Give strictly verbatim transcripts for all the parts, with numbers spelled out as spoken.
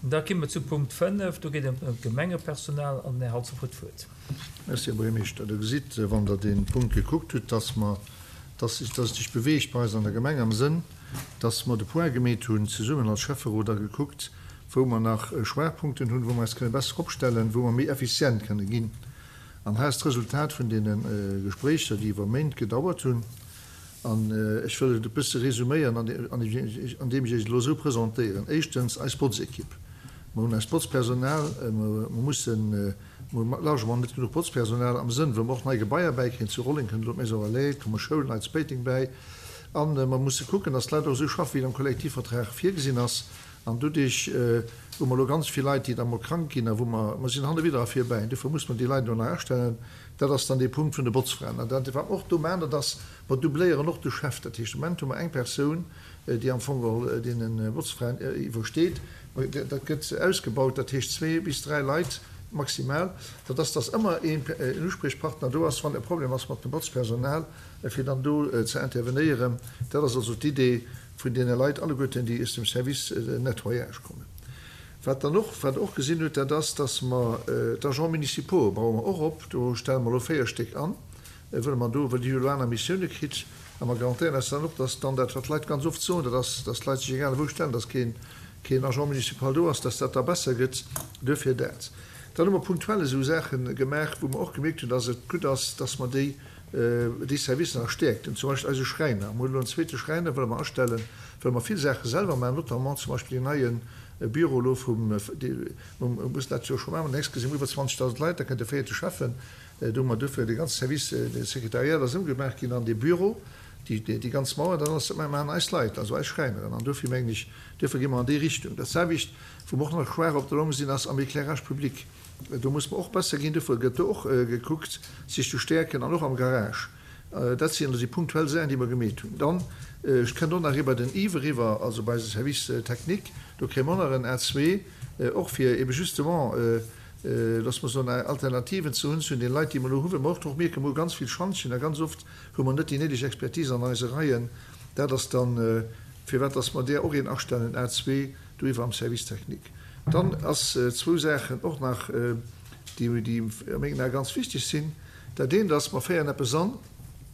Da komme mer zu Punkt fënnef, do geet et ëm d'Gemengepersonal an den Här Halsdorf huet d'Wuert. Merci, Här Buergermeeschter. Der gesitt, wann Der dee Punkt gekuckt hutt, dass mer, dass sech, dass et sech beweegt bei eis an der Gemeng am Sënn, dass mer de Point gemeet hunn zesummen als Schäfferot a gekuckt, wou mer nach Schwaachpunkten hunn, wou mer eis kënne besser opstellen, wou mer méi effizient kënne ginn. An hei ass d'Resultat vun deene Gespréicher, déi iwwer Méint gedauert hunn. An ech wëll et e bësse resuméieren, andeem ech Iech et elo esou presentéieren. Éischtens, eis Botzekipp. Mer hunn eist Botzpersonal, mer mussen, mer hu largement net genuch Botzpersonal am Sënn, wou mer och nei Gebaier bäikréien. Zu Rolleng kënnt elo d'Maison Relais, et komme Schoulen nei zu Péiteng bäi. A mer musse kucken, dass d'Leit och esou schaffen, wéi et am Kollektivvertrag virgesinn ass. An doduerch hu mer elo ganz vill Leit, déi da mol krank ginn a wou mer, mer sinn hanne widder a vir bäi. Dofir muss mer déi Leit elo nach astellen. Dat ass dann dee Punkt vun de Botzfraen. An dat, wat mer och do maachen, dat ass, mer doubléieren och de Chef. Dat heescht, de Moment hu mer eng Persoun, déi am Fong geholl deene Botzfraen iwwersteet. Dat gëtt ausgebaut, dat heescht zwee bis dräi Leit maximal. Dat ass, dass ëmmer een Uspriechpartner do ass, wann e Problem ass mat dem Botzpersonal, fir dann do ze intervenéieren. Dat ass also d'Idee vun deene Leit alleguerten, déi aus dem Service nettoyage kommen. Wat dann och, wat Der och gesinn hutt, dat ass, dass mer d'Agents municipaux baue mer och op. Do stelle mer elo véier Stéck an, wëlle mer do, well déi hu elo aner Missioune kritt. A mer garantéieren eis dann och, dass dann dat, wat d'Leit ganz oft soen, dat ass, dass d'Leit sech egal wou stellen, dass keen, keen Agent municipal do ass, dass dat da besser gëtt. Duerfir dat. Dann hu mer punktuell esou Saache gemaach, wou mer och gemierkt hunn, dass et gutt ass, dass mer déi, déi Servicer nach stäerkten, zum Beispill eise Schräiner. Mer hunn elo en zweete Schräiner, wëlle mer astellen, wëlle mer vill Saache selwer maachen, notamment zum Beispill deen neie Büro elo vum, mer mussen dat jo scho maachen, mä nächst si mer iwwer zwanzegdausend Leit, da kënnt e véierte Schäffen. Do hu mer duerfir de ganze Service, de Sekretariat ass ëmgemaach ginn an dee Büro, déi, déi ganz Mauer, dat alles, dat maachen eis Leit, also eis Schräineren. An duerfir mengen ech, duerfir gi mer an déi Richtung. Dat selwecht, wou mer och nach schwaach op der Long sinn, ass am Éclairage public. Do muss mer och besser ginn. Duerfir gëtt do och gekuckt, sech ze stäerken an och am Garage. Dat sinn elo déi punktuell Saachen, déi mer gemeet hunn. Dann, ech kënnt och nach eriwwer den Yves eriwwer, also bei eise Service technique, do kréie mer och nach en A zwee, och fir ebe justement, loosse mer soen, Alternativen ze hunn zu den Leit, déi mer elo hunn, well mer och mierken, mer hu ganz vill Schantjen a ganz oft hu mer net déi néideg Expertise an eise Reien. Dat ass dann, firwat dass mer där och een astellen, A zwee, do iwwer am Service technique. Dann ass zwou Saachen och nach, déi, déi a mengen Ae ganz wichteg sinn. Dat eent ass, mer féieren eppes an,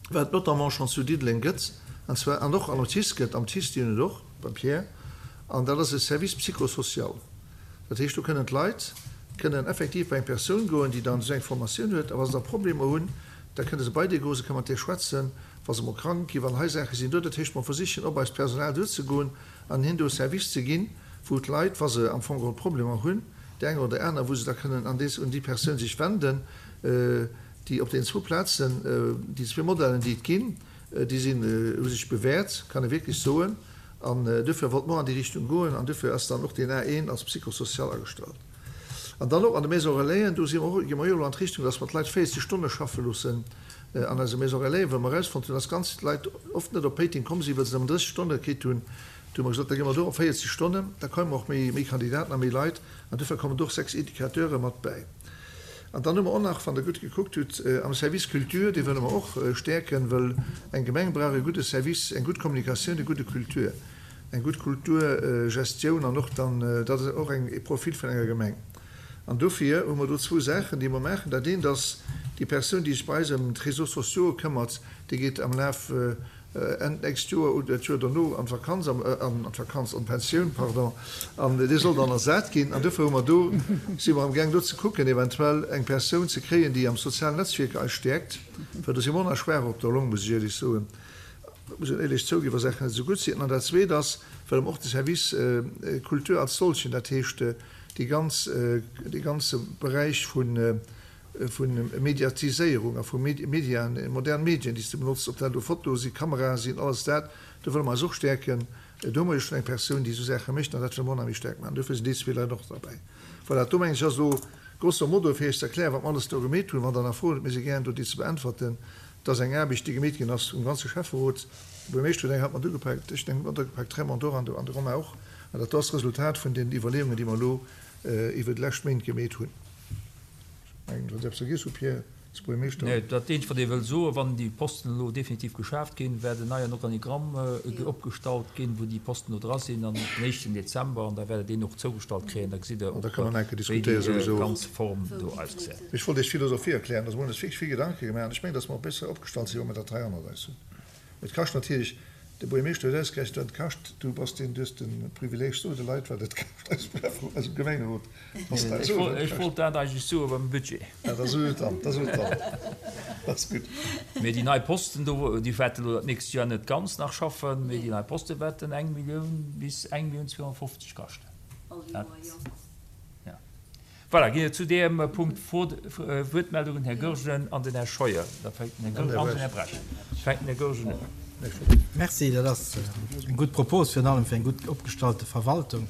wat et notamment schonn zu Diddeleng gëtt, an zwar, an och am TICE gëtt, am TICE, déi hunn et och, beim Pierre, an dat ass e Service psychosocial. Dat heescht, do kënnen d'Leit kënnen effektiv bei eng Persoun goen, déi dann esou eng Formatioun huet, a wa se da Problemer hunn, da kënne se bei déi goen, se kënne mat där schwätzen, wa se emol krank ginn, wann hei Saache sinn do. Dat heescht, mer versichen op eist Personal duerzegoen an hinnen do e Service ze ginn, wou d'Leit, wa se am Fong geholl Problemer hunn, déi eng oder déi aner, wou se da kënnen an des, un déi Persoun sech wenden, déi op deenen zwou Plazen, déi zwee Modellen, déi et ginn, déi sinn, hu sech bewährt, kann ee wierklech soen. An duerfir wollte mer an déi Richtung goen an duerfir ass dann och deen A eent als Psychosocial agestallt. An dann och an de Maisons Relaisen, do si mer och, gi mer jo elo an d'Richtung, dass mer d'Leit véierzeg Stonne schaffe loossen an eise Maisons Relaisen, well mer erausfonnt hunn, dass ganz Leit oft net op Péiteng komm sinn, well se nëmmen drësseg Stonne kritt hunn. Du hu mer gesot, da gi mer do op véierzeg Stonnen, da komme mer och méi, méi Kandidaten a méi Leit an duerfir kommen do och sechs Educateure mat bäi. An dann hu mer och nach, wann Der gutt gekuckt hutt, am Service Culture, dee wëlle mer och stäerken, well eng Gemeng brauch e gudde Service, eng gutt Kommunikatioun, e gudde Kultur, eng gutt Kulturgestioun an och dann, dat ass och eng e Profil vun enger Gemeng. An dofir hu mer do zwou Saachen, déi mer maachen. Dat eent ass, déi Persoun, déi sech bei eis ëm d'Réseaux sociaux këmmert, déi geet am Laf Enn d'nächst Joer oder d'Joer dono an d'Vakanz, an d'Vakanz, an d'Pensioun, pardon, an dee soll dann ersat ginn. An dofir hu mer do, si mer amgaang do ze kucken, eventuell eng Persoun ze kréien, déi am sozialen Netzwierker eis stäerkt, well do si mer och nach schwaach op der Long, muss ech éierlech soen, muss een éierlech zouginn, wa Saachen net esou gutt sinn. An dat Zweet ass, well mer och de Service Culture als solchen, dat heescht déi ganz, dee ganze Beräich vun, vu Mediatiséierung a vu Mediaen, modern Medien, déi s de benotzt, ob dat elo Fotoe sinn, Kamerae sinn, alles dat, do wëlle mer eis och stäerken. Do hu mer jo schonn eng Persoun, déi esou Saache mécht, an dat wëlle mer och nach méi staark maachen. Dofir sinn déi zwee Leit och derbäi. Voilà, do mengen ech ass elo grosso modo, fir Iech ze erklären, wat mer alles do gemeet hunn. Wann Der nach Froen hutt, mir si gären do, déi ze beäntwerten. Et ass eng Aarbecht, déi gemeet ginn ass vum ganze Schäfferot. De Buergermeeschter huet eng Hand mat ugepaakt, ech hunn eng mat ugepaakt, d'Raymond och an de Romain och. An dat do ass d'Resultat vun den Iwwerleeungen, déi mer elo iwwer déi lescht Méint gemeet hunn. Mengen, wann ech eppes vergiess hu, Pierre, Als Buergermeeschter. Nee, dat eenzegt, wat ee wëll soen, wann déi Posten elo definitiv geschaaft ginn, wäert en neien Organigramm opgestallt ginn, wou déi Posten do dra sinn an den éischten Dezember, an da wäert Der deen och zougestallt kréien. Da gesitt Der An da och, kënne mer nach eng Kéier wéi diskutéieren déi souwisou. ganz Form do ausgesäit. Ech wollt Iech d'Philosophie erklären. Also mir hunn eis wierklech vill Gedanke gemaach an ech mengen, dass mer och besser opgestallt sinn, wa mer dat hei hannert eis hunn. Et kascht natierlech, de Buergermeeschter huet ausgerechent, wat et kascht. Du bass deen, du hues de Privileeg, so de Leit, wat et kascht, eisem Schäfferot, eisem Gemengerot, dass dat Ech soen, wollt, wat et ech kascht. wollt dat eigentlech soe beim Budget. Ja, da so et dann, da so et dann. Dat ass gutt. Mee déi nei Posten do, déi wäerten elo dat nächst Joer net ganz nach schaffen, mee déi nei Poste wäerten eng Millioun bis eng Millioun zweehonnertfofzeg kaschten. All Dat, Joer, jo. ja. Voilà, ginn et zu deem Punkt Fro, Wuertmeldungen, Här Goergen an den Här Scheuer. Da fänkt den Här Goergen an den Här Bresch. Fänkt den Här Goergen un. Merci, dat ass eng gutt Propos, virun allem fir eng gutt opgestallte Verwaltung.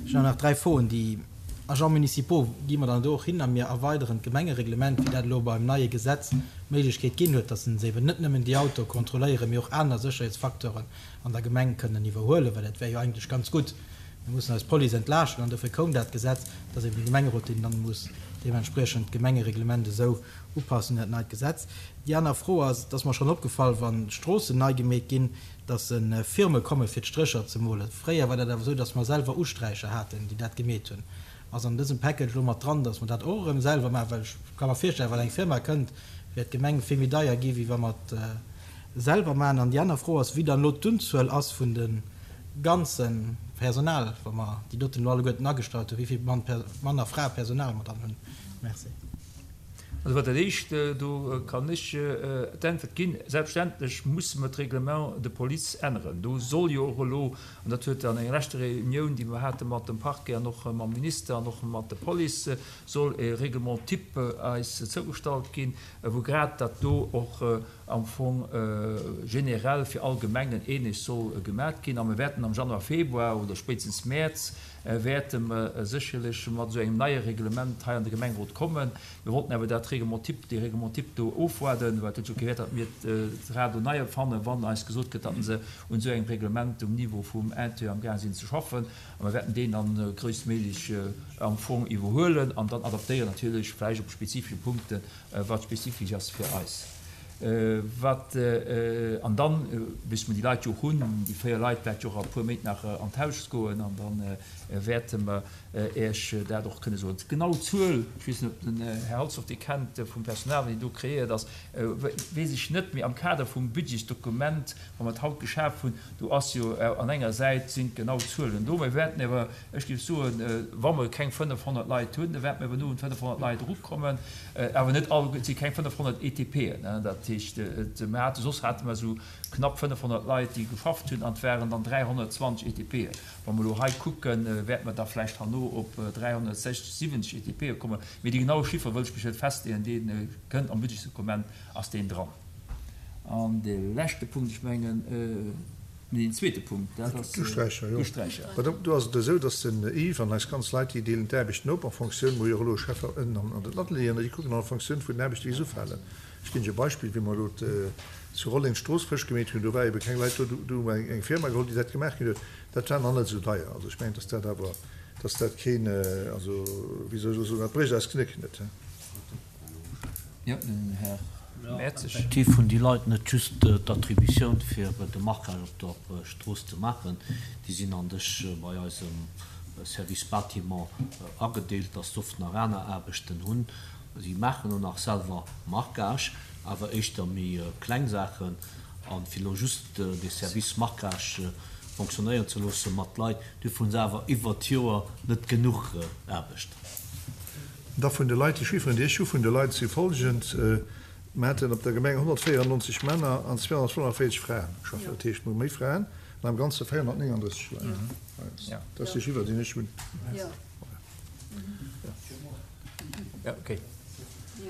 Ech hunn nach dräi Froen. Déi Agents municipaux, gi mer dann do och hin a mir erweideren d'Gemengereglement, wéi dat elo beim neie Gesetz d'Méiglechkeet ginn huet, dass se eben net nëmmen déi Auto kontrolléieren, mee och aner Sécherheetsfacteuren an der Gemeng kënnen iwwerhuelen, well dat wär jo eigentlech ganz gutt. Mir mussen eis Police entlaaschten an dofir koum dat Gesetz, dass eben de Gemengerot deen dann muss deementspriechend d'Gemengereglement esou upassen un dat neit Gesetz. Déi aner Fro ass, dass mer schonn opgefall, wann d'Stroossen nei gemeet ginn, dass Firme komme fir d'Strécher ze molen. Fréier war dat awer esou, dass mer selwer Usträicher haten, déi dat gemeet hunn. Ass an dësem Package elo mat dran, dass mer dat och erëm selwer maachen, well ech ka mer virstellen, wann eng Firma kënnt, wäert d'Gemeng vill méi deier gi wéi wa mer et selwer maachen. An déi aner Fro ass, wéi dann elo d'Unzuel ass vun de ganze Personal, wa mer déi doten elo alleguerten agestallt hunn, wéi vill Mann a Fra Personal mer dann hunn. Merci. Also wat dat éischt, do kann ech d'Äntwert ginn. Selbstverständlech musse mer d'Règlement de police änneren. Do soll jo och elo, an dat huet an enger leschter Reunioun, déi mer hate mat dem Parquet an och mam Minister an och mat der Police, soll e Règlement type eis zougestallt ginn, wou grad dat do och am Fong generell fir all Gemengen ähnlech soll gemaat ginn. A mir wäerten am Januar, Februar oder spéitstens Mäerz wäerte mer sécherlech mat esou engem neie Reglement hei an de Gemengerot kommen. Mir wollten awer dat Règlement type, dee Règlement type do ofwaarden, well et huet jo kee Wäert, datt mir d'Rad do nei erfannen, wann eis gesot gëtt, datt se un esou engem Reglement um Niveau vum Intérieur am gaang sinn ze schaffen. A mir wäerten deen dann grösstméiglech am Fong iwwerhuelen an dann adaptéieren natierlech vläicht op spezifische Punkten, wat spezifesch ass fir eis. Wat, an dann, bis mer déi Leit jo och hunn, déi véier Leit wäert jo och a puer Méint nach an d'Haus goen, an dann wäerte mer Iech dat och kënne soen. D'genau Zuel, ech weess net, ob den Här Halsdorf déi kennt vum Personal, déi do kreéiert ass, weess ech net, mee am Kader vum Budgetsdokument, wa mer et haut geschaf hunn, do ass jo an enger Säit sinn d'genau Zuelen do. Mir wäerten awer, ech géif soen, wa mer keng fënnefhonnert Leit hunn, da wäerten mer awer no un fënnefhonnert Leit erukommen, awer net all, et si keng fënnefhonnert E T P'en, ne? Dat heescht, et, mir hate, soss hate mer esou knapp fënnefhonnert Leit, déi geschafft hunn, an et waren dann dräihonnertzwanzeg E T P'en. Wa mer elo hei kucken, wäerten mer da vläicht herno op dräihonnertsechzig, siwwenzeg E T P'e kommen. Mee déi genaue Chiffre wëll ech mech net festleeën, deen kënnt am Budgetsdokument, ass deen dran. An de leschte Punkt, ech mengen, nee, den zweete Punkt, dat ass D'Usträicher, jo. d'Usträicher. Mä do, do ass et esou, dass den Yves an eis ganz Leit, déi deelen d'Aarbechten op en Fonctioun, wou jo och elo Schäffer ënnen an den Atelieren, déi kucken an Fonctioun vun den Aarbechten, déi se ufalen. Ech ginn Iech e Beispill, wéi mer elo zu Rolleng d'Strooss frësch gemeet hunn, do war ebe keng Leit do, do hu mer eng Firma geholl, déi dat gemaach ginn huet. Dat war nach net esou deier. Also ech mengen, dass dat awer, dass dat keen, also wéi soll ech elo soen, dat brécht eis Knéck net. Jo, den Här Mertzig. Effektiv hunn déi Leit net just d'Attributioun fir de Marquage op der Strooss ze maachen, déi sinn an dech bei eisem Service Bâtiment agedeelt, dass se oft nach aner Aarbechten hunn. Si maachen och nach selwer Marquage, awer éischter méi kleng Saachen. An fir elo just de Service Marquage fonctionnéieren ze loosse mat Leit, dofir hunn se awer iwwer d'Joer net genuch Aarbecht. Da vun de Leit, déi Chifferen, déi ech hu vun de Leit, si folgend. Mir haten op der Gemeng honnertvéierennonzeg Männer an zweehonnertfënnefenvierzeg Fraen geschafft. Dat heescht, mir hu méi Fraen an am Ganze véierhonnertnénganddrësseg Leit. Ja. Dat ass de Chiffer, deen ech hunn. Ja. Ja, okay.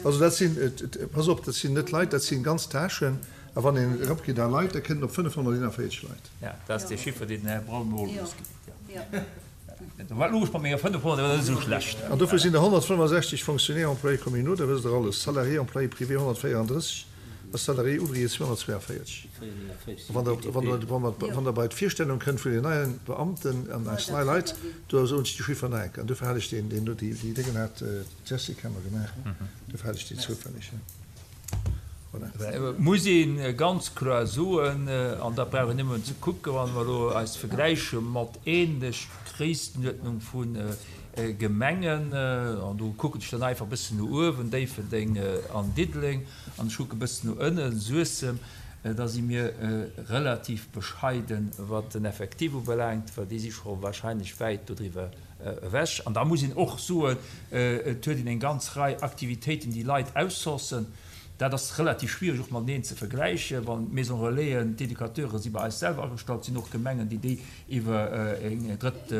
Also dat sinn, et, et, pass op, dat sinn net Leit, dat sinn ganz Tâchen. A wann een eropgeet a Leit, da kënnen op fënnefhonnerteenundvierzeg Leit. Ja, dat ass de Chiffer, deen den Här Braun mir Ja. ausginn huet. Ja. Ja. Wat logesch bei menger fënnefhonnert, dat ass net esou schlecht. An dofir sinn der honnertfënnefsechzeg Fonctionnaires employés communaux, da wësst der alles. Salariés employés privés honnertvéierunddrësseg, a Salariés ouvriers zweehonnertzweeënvierzeg. Wann der, wann der, wann der, wann der bei d'Virstellung kënnt vun den neien Beamten an eis nei Leit, do soen ech déi Chiffer nach eng Kéier. An dofir hat ech den, den, déi, déi Déngen hat d'Jessica mer gemaach. Dofir hat ech déi zoufälleg. Voilà. Et muss ee ganz kloer soen, an dat brauch een nëmmen ze kucken, wa mer elo eis vergläiche mat ähnlech Gréisstenuerdnung vu Gemengen, an do kucken ech dann einfach e bëssen no uewen, Déifferdeng an Diddeleng, an ech kucke e bëssen no ënnen, Suessem, da si mir relativ bescheiden, wat den Effectif ubelaangt, well déi si scho wahrscheinlech wäit dodriwwer ewech. An da muss een och soen, et huet een eng ganz Rei Aktivitéiten, déi Leit outsourcen. Dat ass relativ schwierig och mateneen ze vergläichen, wann d'Maison Relaisen, d'Educateure si bei eis selwer agestallt, sinn och Gemengen, déi déi iwwer eng drëtt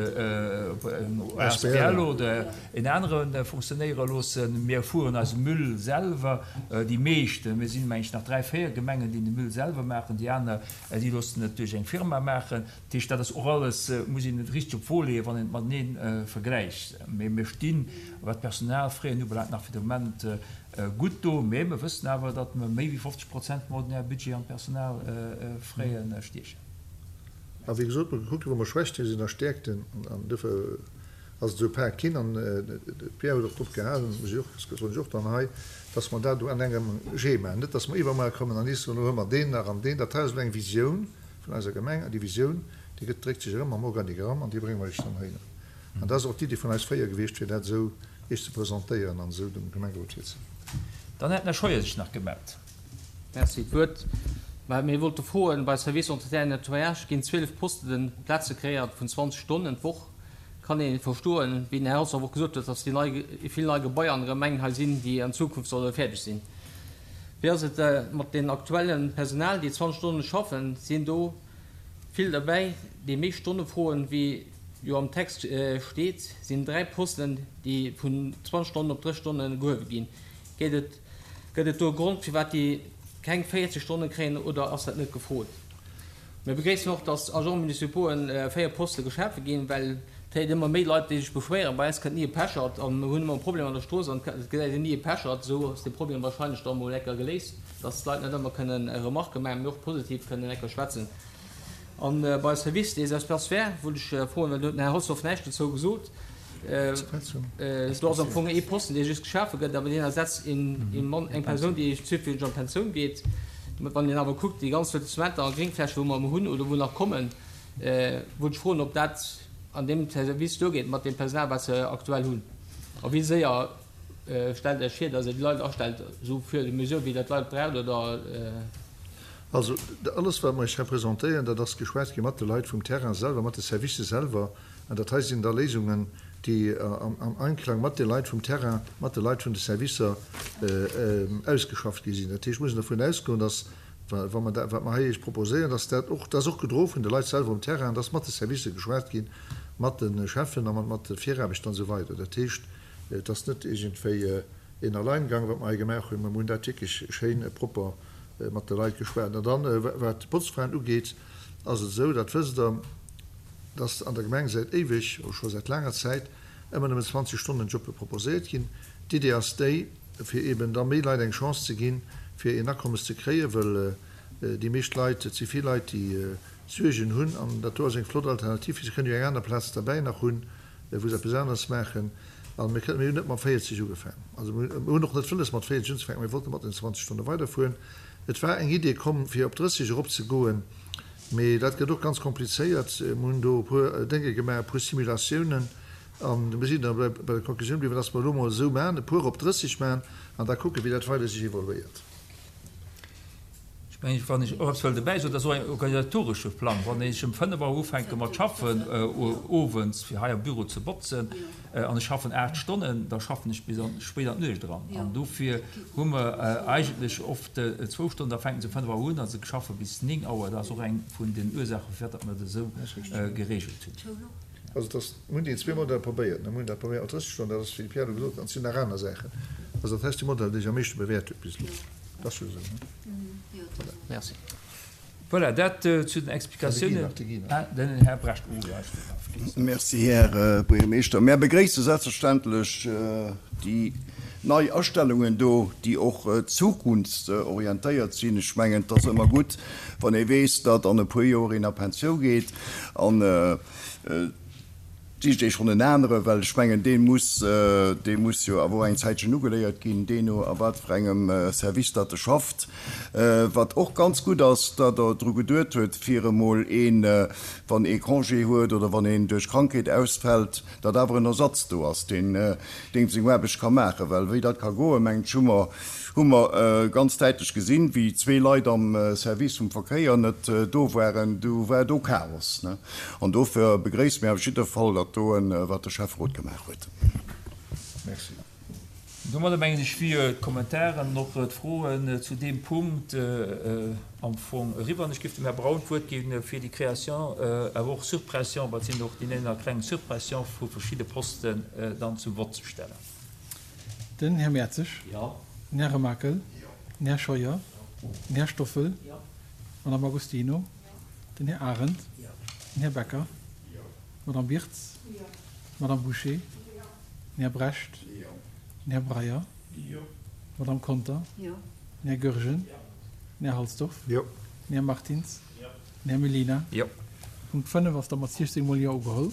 asbl oder en anere funktionéiere loossen. Mir fueren eise Müll selwer, déi meeschten. Mir sinn, meng ech, nach dräi, véier Gemengen, déi de Müll selwer maachen, déi aner, déi loossen et duerch eng Firma maachen. Dat heescht, dat ass och alles, muss een et richteg op d'Wo leeën, wann een et matenee vergläicht. Mee mir stinn, wat d'Personalfraisen ubelaangt, nach fir de Moment gutt do, mee mir wëssen awer, datt mer méi wéi fofzeg Prozent vum ordinäre Budget an d'Personalfraisen stiechen. A wéi gesot, mir kucken, wou mer Schwächten sinn a Stäerkten, an duerfir ass et esou pak ginn. An de Pierre huet och drop gehalen, muss ech och, soen ech och dann hei, datt mer dat do an engem Jee maachen, net datt mer iwwermuer kommen an nees soen, elo hu mer deen nach an deen. Dat hei ass elo eng Visioun vun eiser Gemeng, an déi Visioun, déi gëtt, dréckt sech erëm am Organigramm an déi brénge mer lech dann heihinner. An dat ass och d'Iddi vun eis véier gewiescht, fir dat esou Iech ze presentéieren an esou dem Gemengerot virzeleeën. Dann hätt den Här Scheuer sech nach gemellt. Merci. D'Wuert. Mä mir wollte froen, bei Service Entretien et Nettoyage ginn zwielef Posten, Plaze kreéiert vun zwanzeg Stonnen d'Woch. Kann ee verstoen, wéi den Här Haushoff och gesot huet, dass déi nei, vill nei Gebaier an der Gemeng hei sinn, déi an Zukunft solle fäerdeg sinn. Wéi ass et mat den aktuelle Personal, déi zwanzeg Stonne schaffen? Sinn do vill derbäi, déi méi Stonne froen, wéi jo am Text steet, sinn dräi Posten, déi vun zwanzeg Stonnen op drësseg Stonne gehuewe ginn. Gétt et, gëtt et do e Grond, firwat déi keng véierzeg Stonne kréien, oder ass dat net gefrot? Mir begréissen och, dass Agents municipauxen véier Poste geschafe ginn, well et héiert ëmmer méi Leit, déi sech beschwéieren, bei eis kënnt ni e Pechert a mir hunn ëmmer e Problem an der Strooss an et gesäit een ni e Pechert. Esou ass dee Problem wahrscheinlech da mol ecker geléist, dass d'Leit net ëmmer kënnen Remarquë maachen, mee och positiv kënnen ecker schwätzen. A bei Service des Espaces verts wollt ech froen, well do huet den Här Holzhoff näischt dozou gesot, do ass am Fong ee Posten, dee just geschafe gëtt, awer deen ersetzt een Mann, eng Persoun, déi zufälleg an d'Pensioun geet. Wann een awer kuckt, déi ganz Lotissementer a Gréngfläche wou mer elo hunn oder wou nach kommen, wollt ech froen, ob dat an deem Service duergeet mat deem Personal, wat se aktuell hunn a wéi séier stellt Iech vir, datt Dir déi Leit astellt, esou fur et à mesure wéi Der d'Leit braucht, oder? Also, alles wat mer Iech hei presentéieren, dat ass geschwat gi mat de Leit vum Terrain selwer, mat de Servicë selwer. An dat hei sinn da Léisungen, déi am Einklang mat de Leit vum Terrain, mat de Leit vun de Servicer ausgeschafft gi sinn. Dat heescht, mir mussen dervun ausgoen, dass, wa mer dat, wat mer hei Iech proposéieren, dass dat och, dat ass och gedroe vun de Leit selwer um Terrain, dass mat de Servicë geschwat ginn, mat de Cheffen a mat de Viraarbechter an esou weider. Dat heescht, et ass net iergendwéi een Alleingang, wat mer hei gemaach hunn. Mer hunn dat wierklech schéin propper mat de Leit geschwat. An dann, wat d'Botzfraen ugeet, ass et esou, dat wësst Der, dass an der Gemeng säit éiweg, oder scho säit laanger Zäit, ëmmer nëmmen zwanzeg Stonnen Jobbe proposéiert ginn. D'Idee ass déi, fir eeben da méi Leit eng Chance ze ginn, fir een Akommes ze kréien, wëll déi meescht Leit, et si vill Leit, déi Suergen hunn, an dat do ass eng flott Alternativ, fir se kënnen jo eng aner Plaz derbäi nach hunn, wou se eppes aneres maachen. An mir kënnen, mir hunn net mat véierzeg ugefaangen, also mir hunn och net wëlles mat véierzeg unzefänken, mir wollten mat den zwanzeg Stonne weiderfueren. Et war eng Idee komm, fir op drësseg eropzegoen, mee dat gëtt och ganz komplizéiert. Mir hunn do e puer Dénge gemaach, e puer Simulatiounen, a mir sinn da bei der Konklusioun bliwwen, dass mer elo emol esou maachen, e puer op drësseg maachen an da kucken, wéi dat weider sech evoluéiert. Ech mengen, wann ech och eppes wëll dobäi soen, dat ass och en organisatoresche Plang. Wann ech ëm fënnef Auer ufänke mat schaffen owends, fir hei am Büro ze botzen, an ech schaffen aacht Stonnen, da schaffen ech bis an spéit an d'Nuecht eran. An dofir hu mer eigentlech oft zwou Stonnen, da fänke se um fënnef Auer un a se schaffe bis néng Auer. Dat ass och eng vun den Ursaachen, firwat datt mer dat esou geregelt hunn. Also et ass, mir hunn déi zwee Modeller probéiert. Mir hunn dat probéiert mat drësseg Stonnen, dat ass, wéi de Pierre elo gesot huet, an et sinn nach aner Saachen. Also dat hei ass de Modell, dee sech am meeschte bewäert huet bis elo. Dat ass jo esou, ne? Voilà. Merci. Voilà, dat zu den Explikatiounen. Den Här Brecht. Merci, Här Buergermeeschter. Mär begréisse selbstverständlech déi nei Astellungen do, déi och zukunftsorientéiert sinn. Ech mengen, et ass ëmmer gutt, wann ee weess, datt an e puer Joer een a Pensioun geet an Sicht ee schonn en anere, well ech mengen, dee muss, dee muss jo awer och eng Zäitchen ugeléiert ginn, deeno a wat fir engem Service datt e schafft. Wat och ganz gutt ass, datt Der dru geduet huet, fir emol een, wann ee Congé huet oder wann een duerch Krankheet ausfält, datt awer en Ersatz do ass, deen deem seng Aarbecht ka maachen. Well wéi dat ka goen, mengen ech, hu mer, hu mer ganz däitlech gesinn, wéi zwee Leit am Service vum Verkéier net do waren, du war do Chaos. An dofir begréisse mir op jidde Fall dat doen, wat de Schäfferot gemaach huet. Merci. Domadder mengen ech wier d'Kommentaren an och d'Froen zu deem Punkt am Fong eriwwer. An ech géif dem Här Braun d'Wuert gi fir déi Création, awer och Suppression, well et sinn och déi nénner kleng Suppression vu verschidde Posten dann zum Vott ze stellen. Den Här Mertzig. Jo. Den Här Remakel. Den Här Scheuer. Den Här Stoffel. D'Madame Agostino. Den Här Arendt. Den Här Becker. D'Madame Wirtz. D'Madame Bouché. Den Här Brecht. Den Här Breyer. D'Madame Conter. Den Här Goergen. Den Här Halsdorf. Den Här Martins. Den Här Mellina. Punkt fënnef ass da mat siechzéng mol Jo ugeholl.